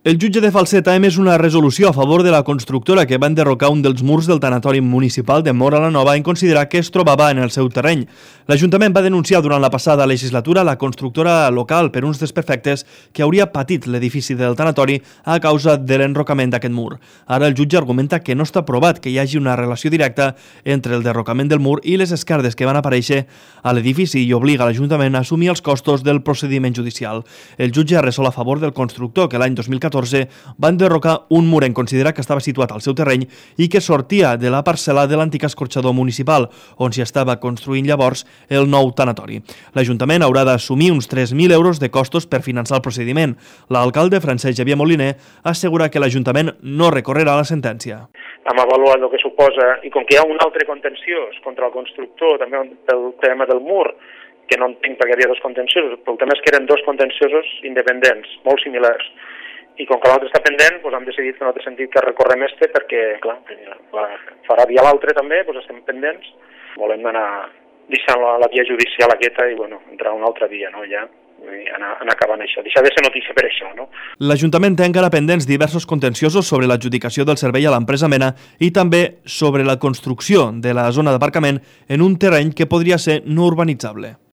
El jutge de Falset ha emès una resolució a favor de la constructora que va enderrocar un dels murs del tanatori municipal de Móra la Nova en considerar que es trobava en el seu terreny. L'Ajuntament va denunciar durant la passada legislatura la constructora local per uns desperfectes que hauria patit l'edifici del tanatori a causa de l'enrocament d'aquest mur. Ara el jutge argumenta que no està provat que hi hagi una relació directa entre el derrocament del mur i les esquerdes que van aparèixer a l'edifici i obliga l'Ajuntament a assumir els costos del procediment judicial. El jutge ha resolt a favor del constructor que l'any 2014 va enderrocar un mur en considerar que estava situat al seu terreny i que sortia de la parcel·la de l'antic escorxador municipal, on s'hi estava construint llavors el nou tanatori. L'Ajuntament haurà d'assumir uns 3.000 euros de costos per finançar el procediment. L'alcalde, Francesc Xavier Moliner, assegura que l'Ajuntament no recorrerà la sentència. Hem avaluat el que suposa, i com que hi ha un altre contenciós contra el constructor, també pel tema del mur, que no entenc perquè hi havia dos contenciosos, però el tema és que eren dos contenciosos independents, molt similars. I com que l'altre està pendent, doncs hem decidit que no té sentit que recorrem perquè, clar, farà via l'altre també, doncs estem pendents. Volem anar deixant la via judicial aquesta i, bueno, entrar a una altra via, no?, ja, i anar acabant això. Deixar de ser notícia per això, no? L'Ajuntament té encara pendents diversos contenciosos sobre l'adjudicació del servei a l'empresa Mena i també sobre la construcció de la zona d'aparcament en un terreny que podria ser no urbanitzable.